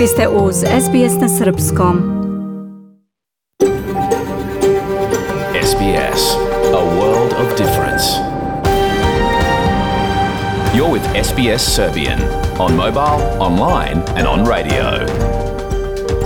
Vi ste uz SBS na Srpskom. SBS, a world of difference. You're with SBS Serbian on mobile, online and on radio.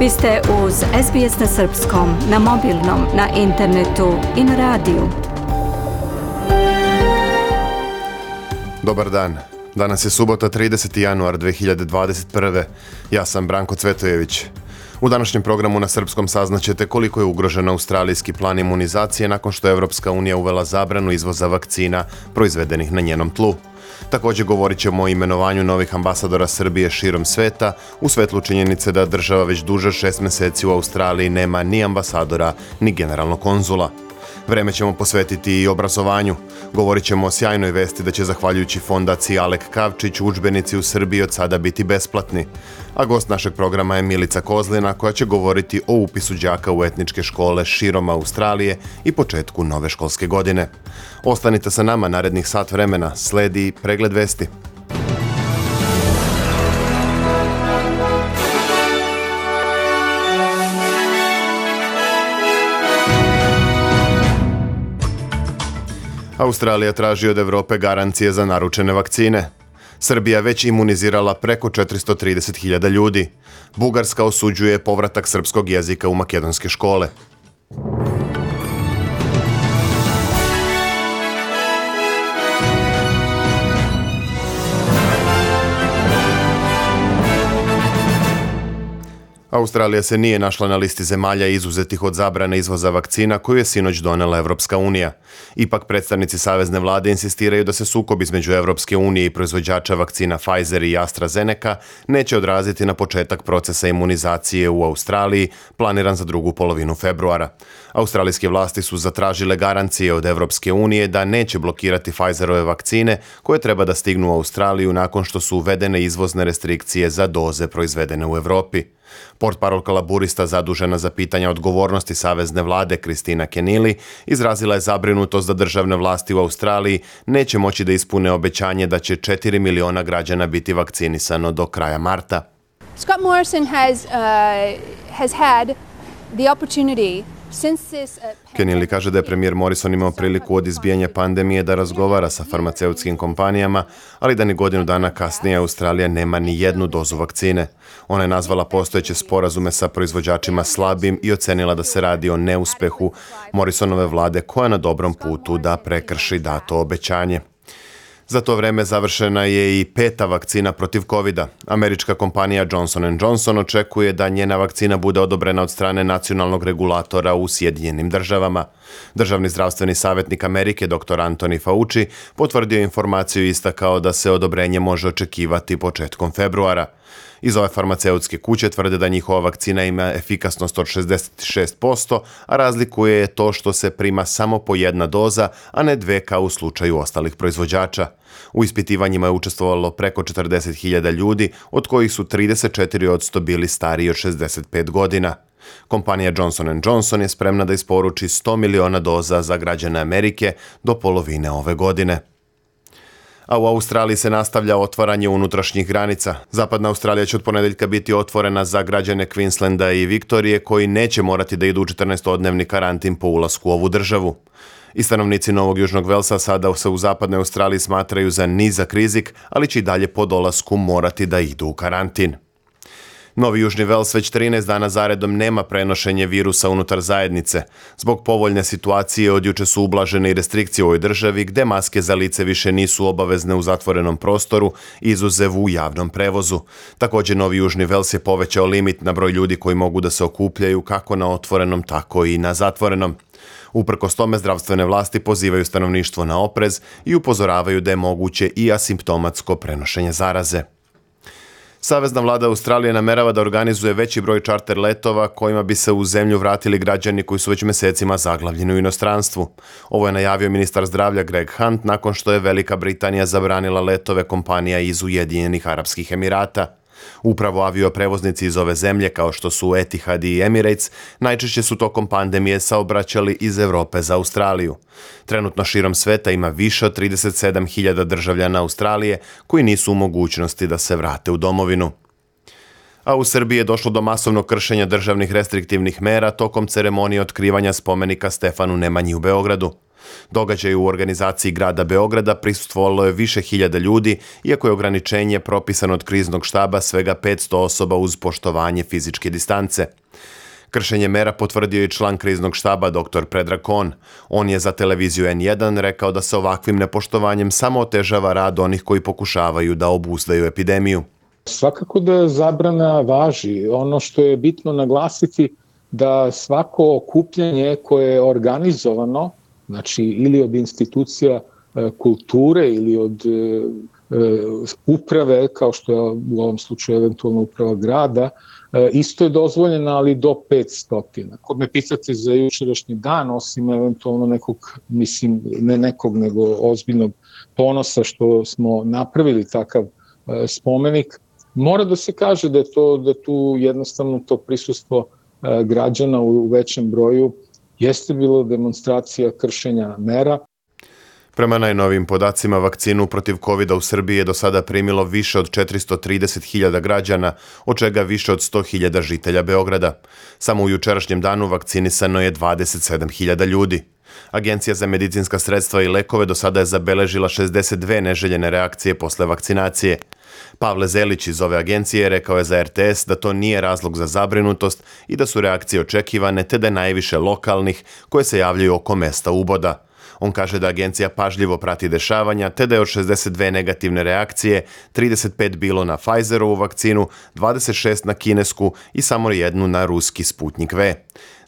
Vi ste uz SBS na Srpskom, na mobilnom, na internetu i na radiju. Dobar dan. Danas je subota 30. januar 2021. Ja sam Branko Cvetojević. U današnjem programu na Srpskom saznaćete koliko je ugrožen australijski plan imunizacije nakon što je Evropska unija uvela zabranu izvoza vakcina proizvedenih na njenom tlu. Također govorit ćemo o imenovanju novih ambasadora Srbije širom sveta u svetlu činjenice da država već duže 6 mjeseci u Australiji nema ni ambasadora ni generalnog konzula. Vreme ćemo posvetiti i obrazovanju. Govorit ćemo o sjajnoj vesti da će zahvaljujući fondaciji Alek Kavčić udžbenici u Srbiji od sada biti besplatni. A gost našeg programa je Milica Kozlina koja će govoriti o upisu đaka u etničke škole širom Australije i početku nove školske godine. Ostanite sa nama narednih sat vremena, sledi pregled vesti. Australija traži od Evrope garancije za naručene vakcine. Srbija već imunizirala preko 430.000 ljudi. Bugarska osuđuje povratak srpskog jezika u makedonske škole. Australija se nije našla na listi zemalja izuzetih od zabrane izvoza vakcina koju je sinoć donela Evropska unija. Ipak predstavnici savezne vlade insistiraju da se sukob između Evropske unije i proizvođača vakcina Pfizer i AstraZeneca neće odraziti na početak procesa imunizacije u Australiji, planiran za drugu polovinu februara. Australijske vlasti su zatražile garancije od Evropske unije da neće blokirati Pfizerove vakcine koje treba da stignu u Australiju nakon što su uvedene izvozne restrikcije za doze proizvedene u Evropi. Portparolka laburista zadužena za pitanja odgovornosti savezne vlade Kristina Kenili izrazila je zabrinutost da državne vlasti u Australiji neće moći da ispune obećanje da će 4 miliona građana biti vakcinisano do kraja marta. Scott Morrison has had the opportunity. Kenili kaže da je premijer Morrison imao priliku od izbijanja pandemije da razgovara sa farmaceutskim kompanijama, ali da ni godinu dana kasnije Australija nema ni jednu dozu vakcine. Ona je nazvala postojeće sporazume sa proizvođačima slabim i ocenila da se radi o neuspehu Morrisonove vlade koja je na dobrom putu da prekrši dato obećanje. Za to vreme završena je i 5. vakcina protiv covida. Američka kompanija Johnson & Johnson očekuje da njena vakcina bude odobrena od strane nacionalnog regulatora u Sjedinjenim državama. Državni zdravstveni savjetnik Amerike dr. Anthony Fauci potvrdio informaciju i istakao da se odobrenje može očekivati početkom februara. Iz ove farmaceutske kuće tvrde da njihova vakcina ima efikasnost od 66%, a razlikuje je to što se prima samo po jedna doza, a ne dve kao u slučaju ostalih proizvođača. U ispitivanjima je učestvovalo preko 40.000 ljudi, od kojih su 34% bili stariji od 65 godina. Kompanija Johnson & Johnson je spremna da isporuči 100 miliona doza za građane Amerike do polovine ove godine. A u Australiji se nastavlja otvaranje unutrašnjih granica. Zapadna Australija će od ponedeljka biti otvorena za građane Queenslanda i Viktorije koji neće morati da idu u 14-dnevni karantin po ulasku u ovu državu. I stanovnici Novog Južnog Velsa sada se u zapadnoj Australiji smatraju za nizak rizik, ali će i dalje po dolasku morati da idu u karantin. Novi Južni Vels već 13 dana zaredom nema prenošenje virusa unutar zajednice. Zbog povoljne situacije od juče su ublažene i restrikcije u ovoj državi gde maske za lice više nisu obavezne u zatvorenom prostoru, izuzev u javnom prevozu. Također Novi Južni Vels je povećao limit na broj ljudi koji mogu da se okupljaju kako na otvorenom tako i na zatvorenom. Uprkos tome zdravstvene vlasti pozivaju stanovništvo na oprez i upozoravaju da je moguće i asimptomatsko prenošenje zaraze. Savezna vlada Australije namerava da organizuje veći broj čarter letova kojima bi se u zemlju vratili građani koji su već mjesecima zaglavljeni u inostranstvu. Ovo je najavio ministar zdravlja Greg Hunt nakon što je Velika Britanija zabranila letove kompanija iz Ujedinjenih Arapskih Emirata. Upravo avioprevoznici iz ove zemlje, kao što su Etihad i Emirates, najčešće su tokom pandemije saobraćali iz Europe za Australiju. Trenutno širom sveta ima više od 37.000 državljana Australije koji nisu u mogućnosti da se vrate u domovinu. A u Srbiji je došlo do masovnog kršenja državnih restriktivnih mera tokom ceremonije otkrivanja spomenika Stefanu Nemanji u Beogradu. Događaj u organizaciji grada Beograda prisustvovalo je više hiljada ljudi, iako je ograničenje propisano od kriznog štaba svega 500 osoba uz poštovanje fizičke distance. Kršenje mera potvrdio i član kriznog štaba dr. Predrag Kon. On je za televiziju N1 rekao da se ovakvim nepoštovanjem samo otežava rad onih koji pokušavaju da obuzdaju epidemiju. Svakako da zabrana važi. Ono što je bitno naglasiti da svako okupljanje koje je organizovano, znači ili od institucija kulture ili od uprave, kao što je u ovom slučaju eventualno uprava grada, isto je dozvoljeno, ali do 500. Kod me pitate za jučerašnji dan, osim eventualno nekog, ne nekog, nego ozbiljnog ponosa što smo napravili takav spomenik, mora da se kaže da tu jednostavno to prisustvo građana u većem broju jeste bilo demonstracija kršenja mera. Prema najnovijim podacima, vakcinu protiv COVID-a u Srbiji je do sada primilo više od 430.000 građana, od čega više od 100.000 žitelja Beograda. Samo u jučerašnjem danu vakcinisano je 27.000 ljudi. Agencija za medicinska sredstva i lekove do sada je zabeležila 62 neželjene reakcije posle vakcinacije. Pavle Zelić iz ove agencije rekao je za RTS da to nije razlog za zabrinutost i da su reakcije očekivane, te da je najviše lokalnih koje se javljaju oko mesta uboda. On kaže da agencija pažljivo prati dešavanja, te da je od 62 negativne reakcije 35 bilo na Pfizerovu vakcinu, 26 na kinesku i samo jednu na ruski Sputnik V.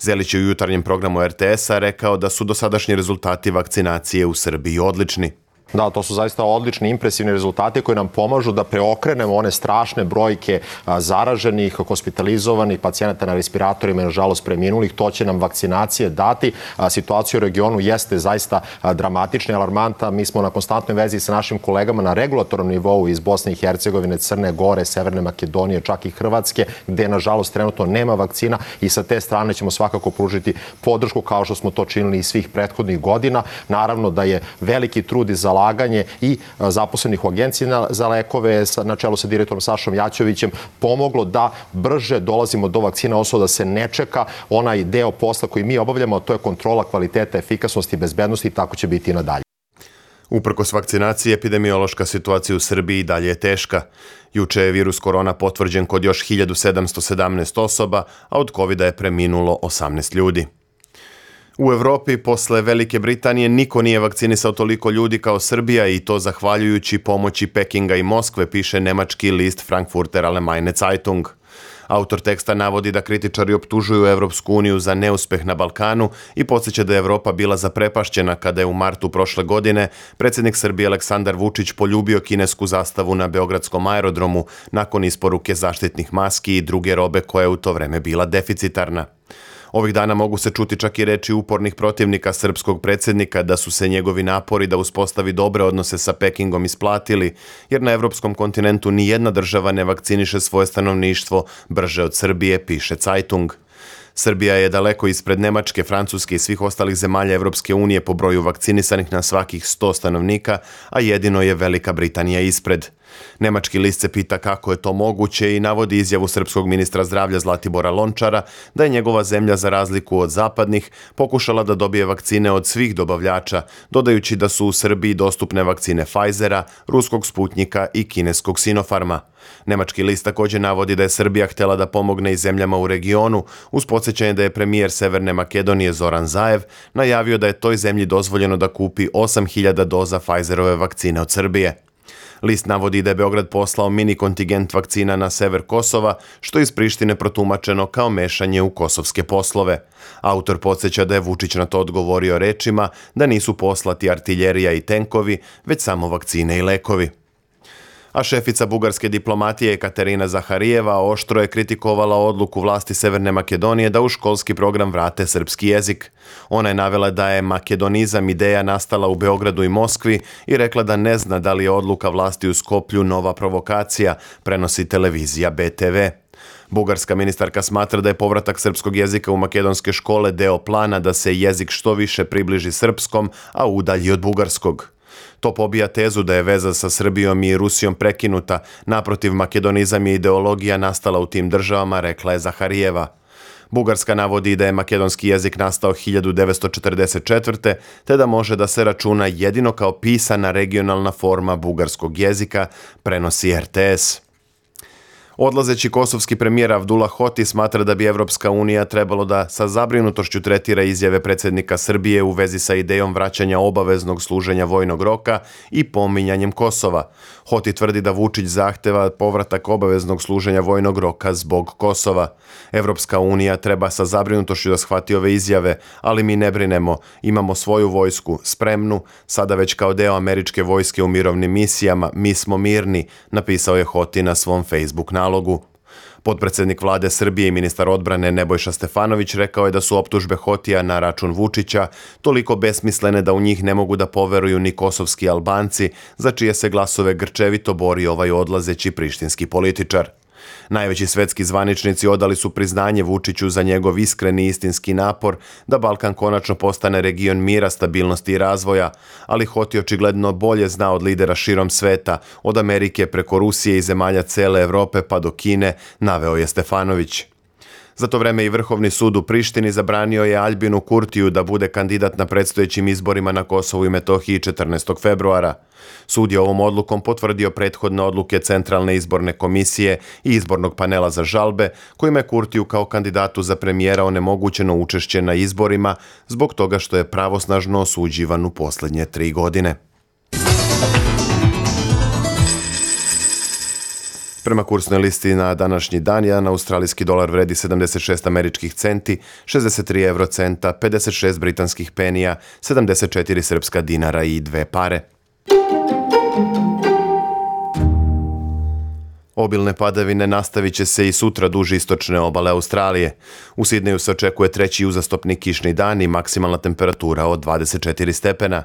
Zelić je u jutarnjem programu RTS-a rekao da su dosadašnji rezultati vakcinacije u Srbiji odlični. Da, to su zaista odlični, impresivni rezultati koji nam pomažu da preokrenemo one strašne brojke zaraženih, hospitalizovanih, pacijenata na respiratorima i nažalost preminulih. To će nam vakcinacije dati. Situacija u regionu jeste zaista dramatična i alarmantna. Mi smo na konstantnoj vezi sa našim kolegama na regulatornom nivou iz Bosne i Hercegovine, Crne Gore, Severne Makedonije, čak i Hrvatske, gde nažalost trenutno nema vakcina i sa te strane ćemo svakako pružiti podršku kao što smo to činili i svih prethodnih godina. Naravno da je veliki trud i zalaganje i zaposlenih u agenciji za lekove na čelu sa direktorom Sašom Jaćovićem pomoglo da brže dolazimo do vakcina, odnosno da se ne čeka onaj deo posla koji mi obavljamo, a to je kontrola kvaliteta, efikasnosti i bezbednosti i tako će biti i nadalje. Uprkos vakcinaciji, epidemiološka situacija u Srbiji i dalje je teška. Juče je virus korona potvrđen kod još 1717 osoba, a od COVID-a je preminulo 18 ljudi. U Evropi posle Velike Britanije niko nije vakcinisao toliko ljudi kao Srbija i to zahvaljujući pomoći Pekinga i Moskve, piše nemački list Frankfurter Allgemeine Zeitung. Autor teksta navodi da kritičari optužuju Evropsku uniju za neuspeh na Balkanu i podsjeća da je Evropa bila zaprepašćena kada je u martu prošle godine predsjednik Srbije Aleksandar Vučić poljubio kinesku zastavu na beogradskom aerodromu nakon isporuke zaštitnih maski i druge robe koja je u to vreme bila deficitarna. Ovih dana mogu se čuti čak i reči upornih protivnika srpskog predsjednika da su se njegovi napori da uspostavi dobre odnose sa Pekingom isplatili, jer na evropskom kontinentu ni jedna država ne vakciniše svoje stanovništvo brže od Srbije, piše Zeitung. Srbija je daleko ispred Nemačke, Francuske i svih ostalih zemalja Evropske unije po broju vakcinisanih na svakih 100 stanovnika, a jedino je Velika Britanija ispred. Nemački list se pita kako je to moguće i navodi izjavu srpskog ministra zdravlja Zlatibora Lončara da je njegova zemlja za razliku od zapadnih pokušala da dobije vakcine od svih dobavljača, dodajući da su u Srbiji dostupne vakcine Pfizera, ruskog Sputnika i kineskog Sinopharma. Nemački list također navodi da je Srbija htjela da pomogne i zemljama u regionu, uz podsjećanje da je premijer Severne Makedonije Zoran Zaev najavio da je toj zemlji dozvoljeno da kupi 8.000 doza Pfizerove vakcine od Srbije. List navodi da je Beograd poslao mini kontingent vakcina na sever Kosova, što je iz Prištine protumačeno kao mešanje u kosovske poslove. Autor podsjeća da je Vučić na to odgovorio rečima da nisu poslati artiljerija i tenkovi, već samo vakcine i lekovi. A šefica bugarske diplomatije Katerina Zaharijeva oštro je kritikovala odluku vlasti Severne Makedonije da u školski program vrate srpski jezik. Ona je navela da je makedonizam ideja nastala u Beogradu i Moskvi i rekla da ne zna da li je odluka vlasti u Skoplju nova provokacija, prenosi televizija BTV. Bugarska ministarka smatra da je povratak srpskog jezika u makedonske škole deo plana da se jezik što više približi srpskom, a udalji od bugarskog. To pobija tezu da je veza sa Srbijom i Rusijom prekinuta, naprotiv makedonizam je ideologija nastala u tim državama, rekla je Zaharijeva. Bugarska navodi da je makedonski jezik nastao 1944. te da može da se računa jedino kao pisana regionalna forma bugarskog jezika, prenosi RTS. Odlazeći kosovski premijer Avdullah Hoti smatra da bi Evropska unija trebalo da sa zabrinutošću tretira izjave predsjednika Srbije u vezi sa idejom vraćanja obaveznog služenja vojnog roka i pominjanjem Kosova. Hoti tvrdi da Vučić zahteva povratak obaveznog služenja vojnog roka zbog Kosova. Evropska unija treba sa zabrinutošću da shvati ove izjave, ali mi ne brinemo, imamo svoju vojsku, spremnu, sada već kao deo američke vojske u mirovnim misijama, mi smo mirni, napisao je Hoti na svom Facebook nalogu. Potpredsjednik vlade Srbije i ministar odbrane Nebojša Stefanović rekao je da su optužbe Hotija na račun Vučića toliko besmislene da u njih ne mogu da poveruju ni kosovski Albanci, za čije se glasove grčevito bori ovaj odlazeći prištinski političar. Najveći svetski zvaničnici odali su priznanje Vučiću za njegov iskreni istinski napor da Balkan konačno postane region mira, stabilnosti i razvoja, ali Hoti očigledno bolje zna od lidera širom sveta, od Amerike preko Rusije i zemalja cele Evrope pa do Kine, naveo je Stefanović. Za to vreme i Vrhovni sud u Prištini zabranio je Aljbinu Kurtiju da bude kandidat na predstojećim izborima na Kosovu i Metohiji 14. februara. Sud je ovom odlukom potvrdio prethodne odluke Centralne izborne komisije i izbornog panela za žalbe, kojima je Kurtiju kao kandidatu za premijera onemogućeno učešće na izborima zbog toga što je pravosnažno osuđivan u posljednje 3 godine. Prema kursnoj listi na današnji dan, jedan australijski dolar vredi 76 američkih centi, 63 eurocenta, 56 britanskih penija, 74 srpska dinara i 2 pare. Obilne padavine nastavit će se i sutra duž istočne obale Australije. U Sidneju se očekuje treći uzastopni kišni dan i maksimalna temperatura od 24 stepena.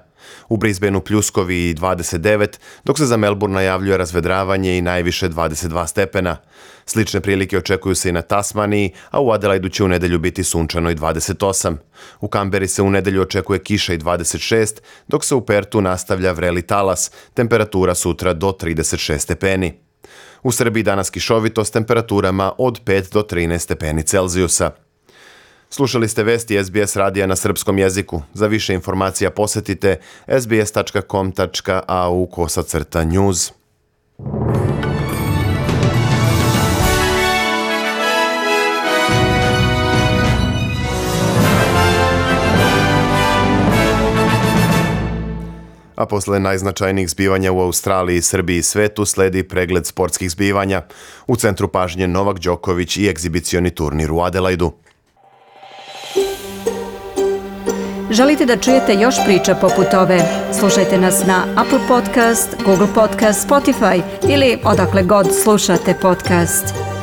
U Brisbaneu pljuskovi i 29, dok se za Melbourne najavljuje razvedravanje i najviše 22 stepena. Slične prilike očekuju se i na Tasmaniji, a u Adelaidu će u nedelju biti sunčano i 28. U Kamberi se u nedelju očekuje kiša i 26, dok se u Pertu nastavlja vreli talas, temperatura sutra do 36 stepeni. U Srbiji danas kišovito s temperaturama od 5 do 13 stepeni Celzijusa. Slušali ste vesti SBS radija na srpskom jeziku. Za više informacija posetite sbs.com.au/news. A posle najznačajnijih zbivanja u Australiji, Srbiji i svetu sledi pregled sportskih zbivanja. U centru pažnje Novak Đoković i egzibicioni turnir u Adelaidu. Želite da čujete još priča poput ove? Slušajte nas na Apple Podcast, Google Podcast, Spotify ili odakle god slušate podcast.